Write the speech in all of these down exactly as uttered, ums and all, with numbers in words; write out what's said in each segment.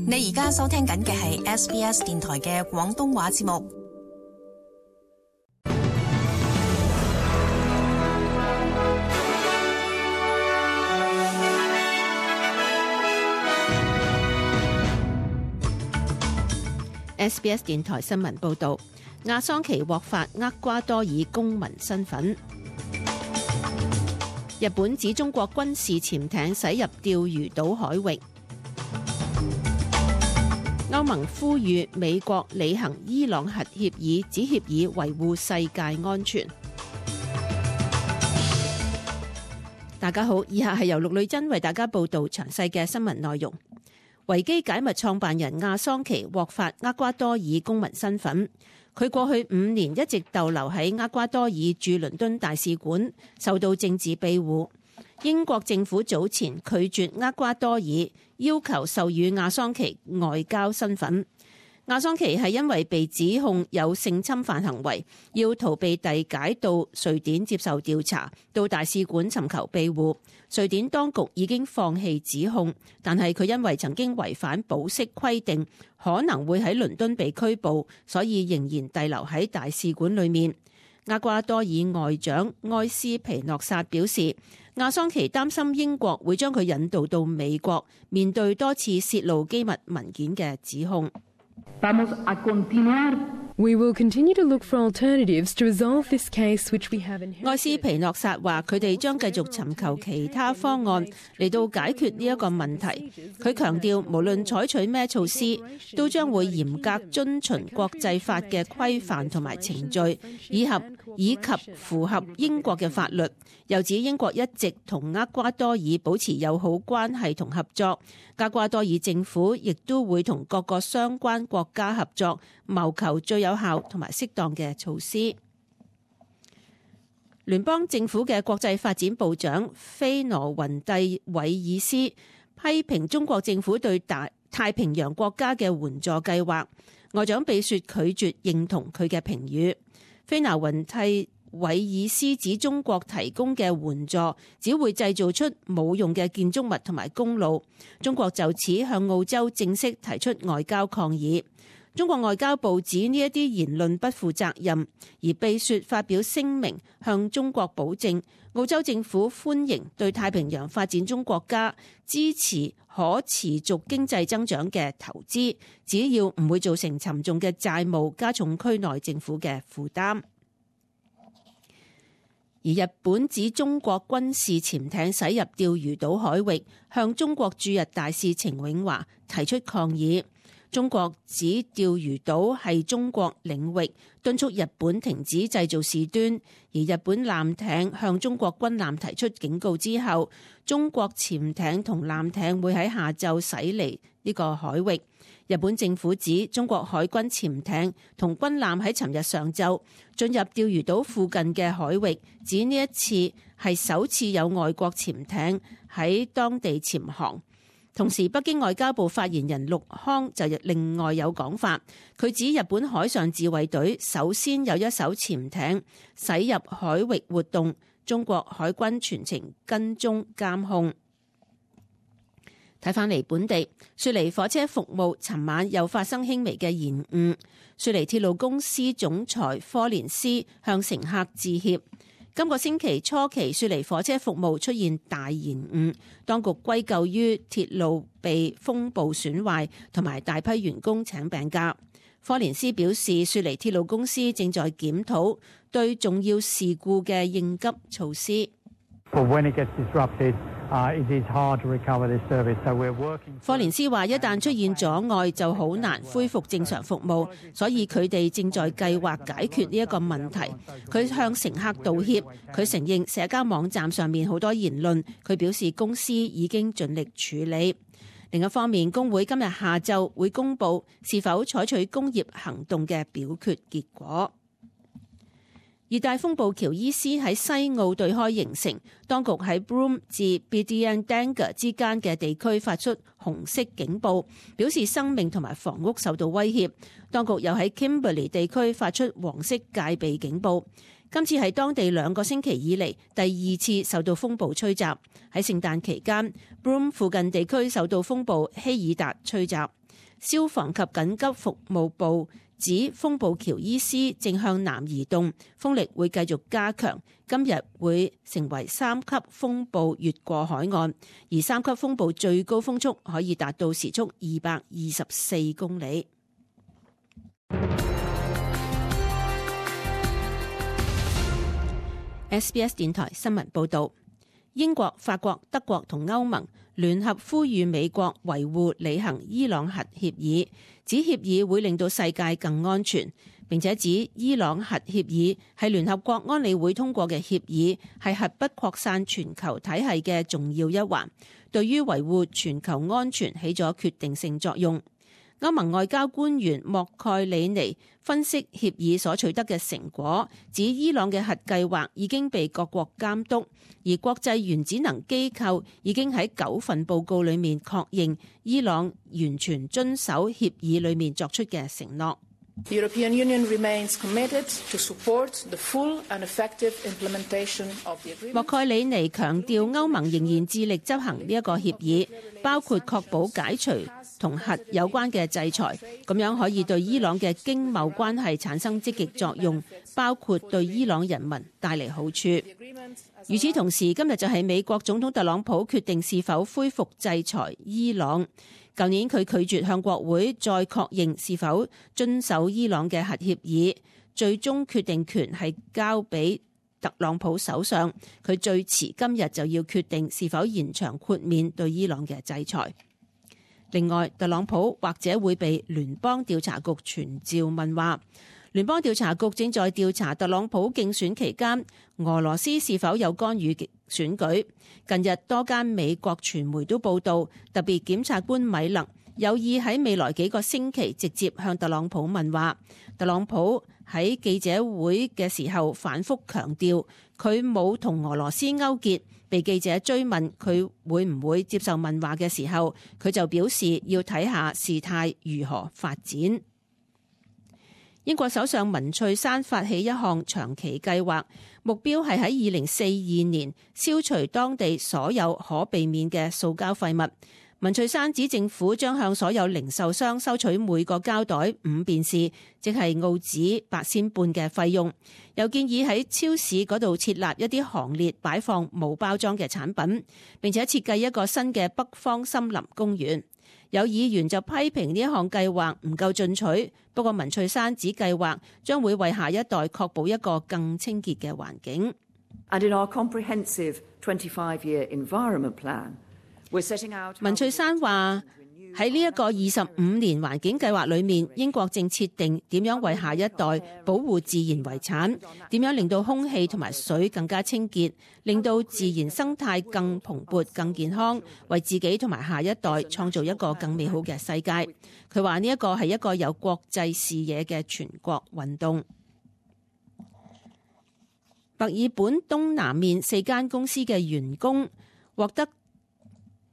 你而家收聽緊嘅係 S B S 電台嘅廣東話節目。S B S 電台新聞報道，亞桑奇獲發厄瓜多爾公民身份。日本指中國軍事潛艇駛入釣魚島海域。歐盟呼籲美國履行伊朗核協議，指協議維護世界安全。大家好，以下係由陸女珍為大家報道詳細嘅新聞內容。維基解密創辦人亞桑奇獲發厄瓜多爾公民身份，佢過去五年一直逗留喺厄瓜多爾駐倫敦大使館，受到政治庇護。英國政府早前拒絕厄瓜多爾要求授予亞桑奇外交身份。亞桑奇係因為被指控有性侵犯行為，要逃避遞解到瑞典接受調查，到大使館尋求庇護。瑞典當局已經放棄指控，但係佢因為曾經違反保釋規定，可能會喺倫敦被拘捕，所以仍然滯留喺大使館裏面。厄瓜多爾外長埃斯皮諾薩表示，亞桑奇擔心英國會將佢引渡到美國，面對多次泄露機密文件嘅指控。We will continue to look for alternatives to resolve this case, which we have inherited. 埃斯皮諾薩話：佢哋將繼續尋求其他方案嚟到解決呢一個問題。佢強調，無論採取咩措施，都將會嚴格遵循國際法嘅規範同埋程序，以及以及符合英國嘅法律。又指英國一直同厄瓜多爾保持友好關係同合作，厄瓜多爾政府亦都會同各個相關國家合作，謀求最有效同埋適當嘅措施。聯邦政府嘅國際發展部長菲羅雲蒂韋爾斯批評中國政府對大太平洋國家嘅援助計劃，外長比雪拒絕認同佢嘅評語。菲羅雲蒂韋爾斯指中國提供嘅援助只會製造出冇用嘅建築物同埋公路。中國就此向澳洲正式提出外交抗議。中國外交部指呢一啲言論不負責任，而比雪發表聲明向中國保證，澳洲政府歡迎對太平洋發展中國家支持可持續經濟增長嘅投資，只要唔會造成沉重嘅債務，加重區內政府嘅負擔。而日本指中國軍事潛艇駛入釣魚島海域，向中國駐日大使程永華提出抗議。中國指釣魚島係中國領域，敦促日本停止製造事端。而日本艦艇向中國軍艦提出警告之後，中國潛艇同艦艇會喺下晝駛離呢個海域。日本政府指中國海軍潛艇同軍艦喺尋日上晝進入釣魚島附近嘅海域，指呢一次係首次有外國潛艇喺當地潛航。同時，北京外交部發言人陸康就另外有講法，佢指日本海上自衛隊首先有一艘潛艇駛入海域活動，中國海軍全程跟蹤監控。睇返嚟本地，雪梨火車服務尋晚又發生輕微嘅延誤，雪梨鐵路公司總裁科連斯向乘客致歉。今個星期初期，雪梨火車服務出現大延誤，當局歸咎於鐵路被風暴損壞同埋大批員工請病假。科連斯表示，雪梨鐵路公司正在檢討對重要事故嘅應急措施。科連斯話：一旦出現阻礙，就好難恢復正常服務，所以佢哋正在計劃解決呢一個問題。佢向乘客道歉，佢承認社交網站上面好多言論，佢表示公司已經盡力處理。另一方面，工會今日下晝會公布是否採取工業行動嘅表決結果。熱帶風暴喬伊斯喺西澳對開形成，當局喺 Broome 至 Biddiandanga 之間嘅地區發出紅色警報，表示生命同埋房屋受到威脅。當局又喺 Kimberley 地區發出黃色戒備警報。今次係當地兩個星期以嚟第二次受到風暴吹襲。喺聖誕期間 Broome 附近地區受到風暴希爾達吹襲。消防及緊急服務部指風暴喬伊斯正向南移動，風力會繼續加強，今日會成為三級風暴越過海岸，而三級風暴最高風速可以達到時速二百二十四公里。S B S 電台新聞報道，英國、法國、德國同歐盟聯合呼籲美國維護履行伊朗核協議，指協議會令到世界更安全，並且指伊朗核協議係聯合國安理會通過嘅協議，係核不擴散全球體系嘅重要一環，對於維護全球安全起咗決定性作用。歐盟外交官員莫蓋里尼分析協議所取得嘅成果，指伊朗嘅核計劃已經被各國監督，而國際原子能機構已經喺九份報告裏面確認伊朗完全遵守協議裏面作出嘅承諾。The European Union remains committed to support the full and effective implementation of the agreement. 莫蓋里尼強調，歐盟仍然致力執行呢一個協議，包括確保解除同核有關嘅制裁，咁樣可以對伊朗嘅經貿關係產生積極作用，包括對伊朗人民帶嚟好處。與此同時，今日就係美國總統特朗普決定是否恢復制裁伊朗。舊年佢拒絕向國會再確認是否遵守伊朗嘅核協議，最終決定權係交俾特朗普手上。佢最遲今日就要決定是否延長豁免對伊朗嘅制裁。另外，特朗普或者會被聯邦調查局傳召問話。聯邦調查局正在調查特朗普競選期間俄羅斯是否有干預選舉。近日多間美國傳媒都報道，特別檢察官米勒有意喺未來幾個星期直接向特朗普問話。特朗普喺記者會嘅時候反覆強調佢冇同俄羅斯勾結。被記者追問佢會唔會接受問話嘅時候，佢就表示要睇下事態如何發展。英國首相文翠珊發起一項長期計劃，目標係喺二零四二年消除當地所有可避免嘅塑膠廢物。文翠珊指政府將向所有零售商收取每個膠袋五便士，即係澳紙八仙半嘅費用。又建議喺超市嗰度設立一啲行列擺放冇包裝嘅產品，並且設計一個新嘅北方森林公園。有議員就批評呢一項計劃唔夠進取，不過文翠珊指計劃將會為下一代確保一個更清潔嘅環境。And in our comprehensive twenty-five year environment plan, we're setting out. 文翠珊話喺呢一個二十五年環境計劃裏面，英國正設定點樣為下一代保護自然遺產，點樣令到空氣同埋水更加清潔，令到自然生態更蓬勃、更健康，為自己同埋下一代創造一個更美好嘅世界。佢話呢一個係一個有國際視野嘅全國運動。墨爾本東南面四間公司嘅員工獲得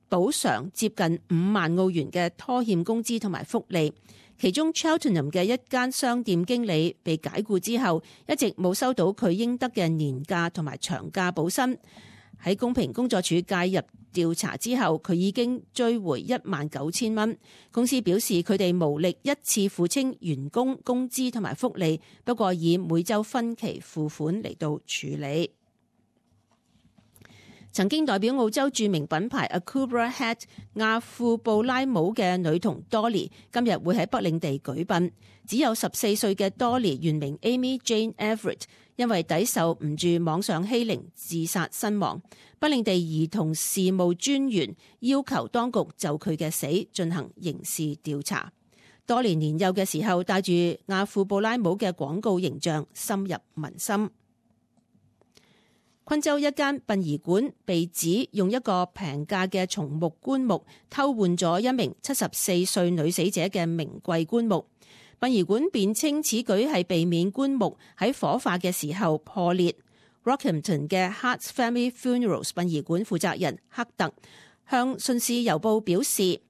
補償接近五萬澳元嘅拖欠工資同埋福利，其中 Cheltenham 嘅一間商店經理被解僱之後，一直冇收到佢應得嘅年假同埋長假補薪。喺公平工作處介入調查之後，佢已經追回一萬九千蚊。公司表示佢哋無力一次付清員工工資同埋福利，不過以每週分期付款嚟到處理。曾經代表澳洲著名品牌 Akubra Hat 亞庫布拉帽嘅女童 Dolly 今日會喺北領地舉殯。只有十四歲嘅 Dolly 原名 Amy Jane Everett， 因為抵受唔住網上欺凌自殺身亡。北領地兒童事務專員要求當局就佢嘅死進行刑事調查。Dolly年幼嘅時候戴住亞庫布拉帽嘅廣告形象深入民心。昆州一間殯儀館被指用一個平價嘅松木棺木偷換咗一名七十四歲女死者嘅名貴棺木。殯儀館辯稱此舉係避免棺木喺火化嘅時候破裂。Rockhampton 嘅 Hart Family Funerals 殯儀館負責人克特向《信使郵報》表示，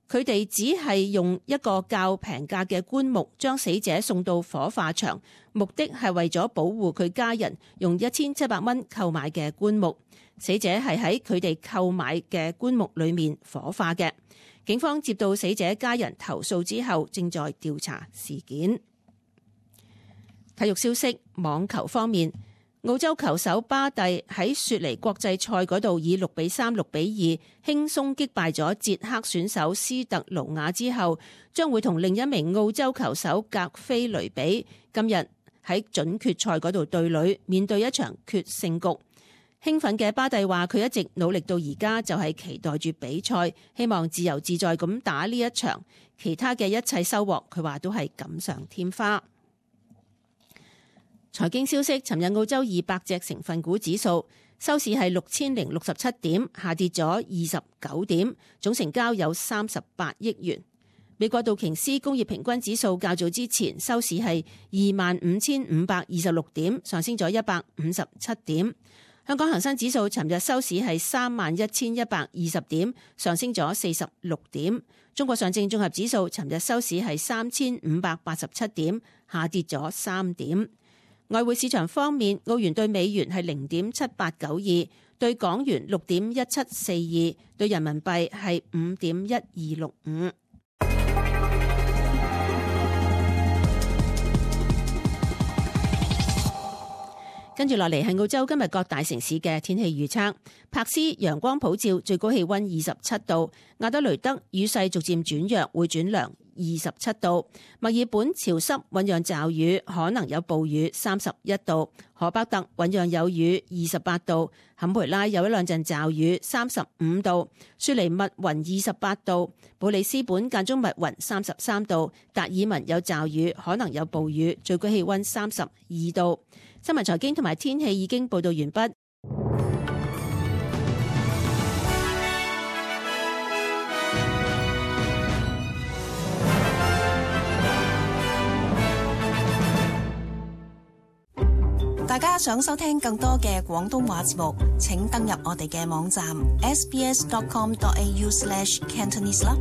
佢哋只係用一個較平價嘅棺木將死者送到火化場，目的係為咗保護佢家人用一千七百蚊購買嘅棺木。死者係喺佢哋購買嘅棺木裏面火化嘅。警方接到死者家人投訴之後，正在調查事件。體育消息，網球方面，澳洲球手巴蒂喺雪梨國際賽嗰度以六比三、六比二輕鬆擊敗咗捷克選手斯特盧瓦之後，將會同另一名澳洲球手格菲雷比今日喺準決賽嗰度對壘，面對一場決勝局。興奮嘅巴蒂話：佢一直努力到而家，就係期待住比賽，希望自由自在咁打呢一場。其他嘅一切收穫，佢話都係錦上添花。財經消息，尋日澳洲二百隻成分股指數收市係六千零六十七點，下跌咗二十九點，總成交有三十八億元。美國道瓊斯工業平均指數較早之前收市係二萬五千五百二十六點，上升咗一百五十七點。香港恒生指數尋日收市係三萬一千一百二十點，上升咗四十六點。中國上證綜合指數尋日收市係三千五百八十七點，下跌咗三點。外匯市場方面，澳元對美元係零點七八九二，對港元六點一七四二，對人民幣係五點一二六五。跟住落嚟係澳洲今日各大城市嘅天氣預測。柏斯陽光普照，最高氣溫二十七度；亞德雷德雨勢逐漸轉弱，會轉涼，二十七度；墨爾本潮濕，醞釀驟雨，可能有暴雨，三十一度；荷伯特醞釀有雨，二十八度；坎培拉有一兩陣驟雨，三十五度；雪梨密雲二十八度；布里斯本間中密雲，三十三度；達爾文有驟雨，可能有暴雨，最高氣溫三十二度。新聞財經同埋天氣已經報道完畢。大家想收聽更多嘅廣東話節目，請登入我哋嘅網站 s b s dot com dot a u slash cantonese 啦。